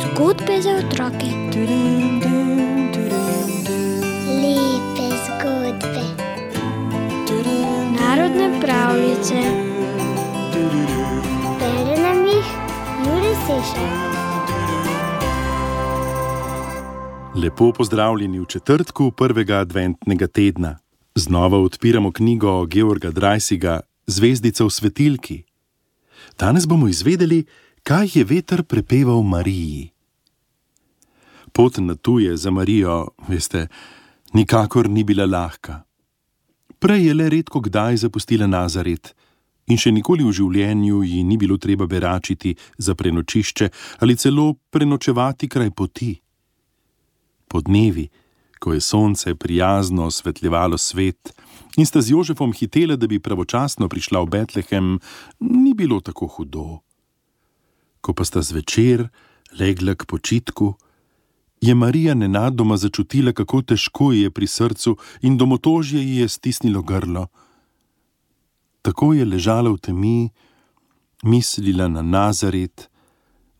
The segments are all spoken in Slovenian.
Zgodbe za otroke. Lepe zgodbe. Narodne pravljice. Bere nam jih Jure Sešar. Lepo pozdravljeni v četrtku prvega adventnega tedna. Znova odpiramo knjigo Georga Dreisiga Zvezdica v svetilki. Danes bomo izvedeli, kaj je veter prepeval Mariji. Pot na tuje za Marijo, veste, nikakor ni bila lahka. Prej je le redko kdaj zapustila Nazaret in še nikoli v življenju ji ni bilo treba beračiti za prenočišče ali celo prenočevati kraj poti. Po dnevi, ko je sonce prijazno osvetljevalo svet in sta z Jožefom hitela, da bi pravočasno prišla v Betlehem, ni bilo tako hudo. Ko pa sta zvečer legla k počitku, je Marija nenadoma začutila, kako težko ji je pri srcu in domotožje ji je stisnilo grlo. Tako je ležala v temi, mislila na Nazaret,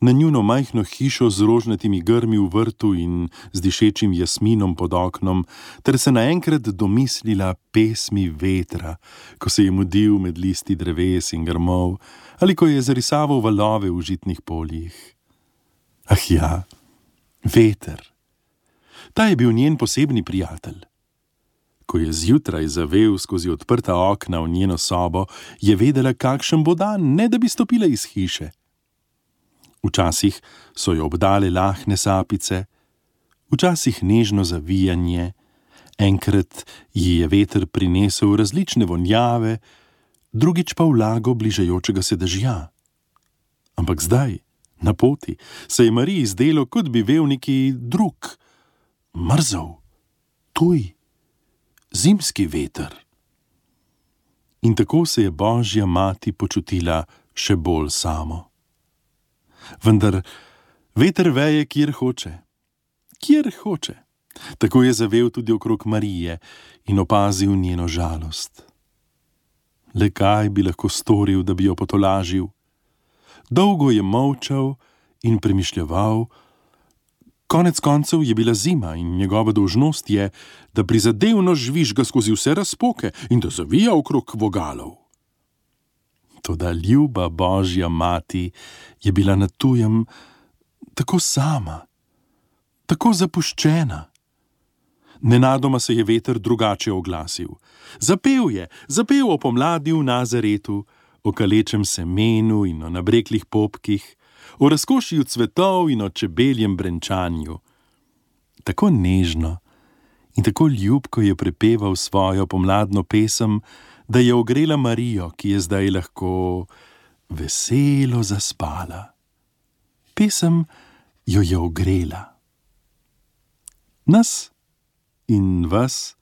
na njuno majhno hišo z rožnatimi grmi v vrtu in z dišečim jasminom pod oknom, ter se naenkrat domislila pesmi vetra, ko se je mudil med listi dreves in grmov, ali ko je zarisaval valove v žitnih poljih. Ah ja, veter. Ta je bil njen posebni prijatelj. Ko je zjutraj zavel skozi odprta okna v njeno sobo, je vedela, kakšen bo dan, ne da bi stopila iz hiše. Včasih so jo obdale lahne sapice, včasih nežno zavijanje, enkrat ji je veter prinesel različne vonjave, drugič pa vlago bližajočega se dežja. Ampak zdaj, na poti, se je Mariji zdelo, kot bi vel neki drug, mrzel, tuj, zimski veter. In tako se je Božja mati počutila še bolj samo. Vendar veter veje, kjer hoče. Kjer hoče. Tako je zavel tudi okrog Marije in opazil njeno žalost. Le kaj bi lahko storil, da bi jo potolažil? Dolgo je molčal in premišljeval. Konec koncev je bila zima in njegova dolžnost je, da prizadevno žvižga skozi vse razpoke in da zavija okrog vogalov. Toda ljuba Božja mati je bila na tujem tako sama, tako zapuščena. Nenadoma se je veter drugače oglasil. Zapel o pomladi v Nazaretu, o kalečem semenu in o nabreklih popkih, o razkošju cvetov in o čebeljem brenčanju. Tako nežno in tako ljubko je prepeval svojo pomladno pesem, da je ogrela Marijo, ki je zdaj lahko veselo zaspala. Pesem jo je ogrela. Nas in vas,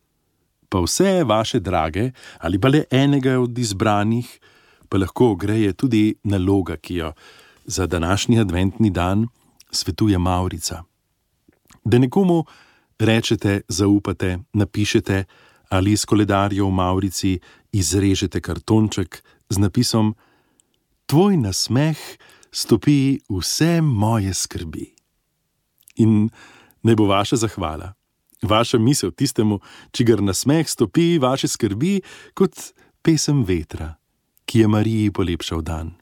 pa vse vaše drage, ali pa le enega od izbranih, pa lahko ogreje tudi naloga, ki jo za današnji adventni dan svetuje Mavrica. Da nekomu rečete, zaupate, napišete ali iz koledarjev v Mavrici izrežete kartonček z napisom Tvoj nasmeh stopi vse moje skrbi. In naj bo vaša zahvala, vaša misel tistemu, čigar nasmeh stopi vaše skrbi, kot pesem vetra, ki je Mariji polepšal dan.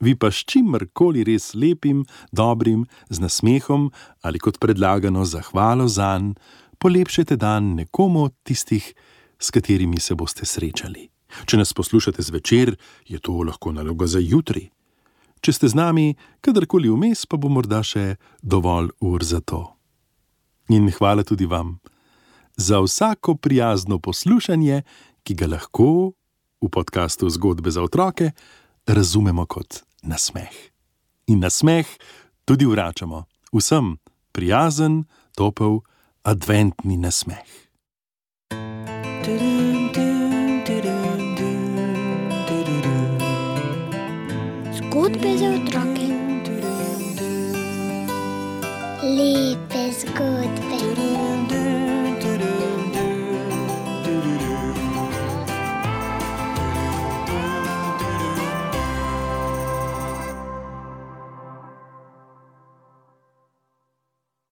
Vi pa s čimerkoli res lepim, dobrim, z nasmehom ali kot predlagano zahvalo zanj, polepšete dan nekomu od tistih, s katerimi se boste srečali. Če nas poslušate zvečer, je to lahko naloga za jutri. Če ste z nami kadarkoli vmes, pa bo morda še dovolj ur za to. In hvala tudi vam za vsako prijazno poslušanje, ki ga lahko v podkastu Zgodbe za otroke razumemo kot nasmeh. In nasmeh tudi vračamo vsem prijazen, topel, adventni nasmeh. Zgodbe za otroke. Lepe zgodbe.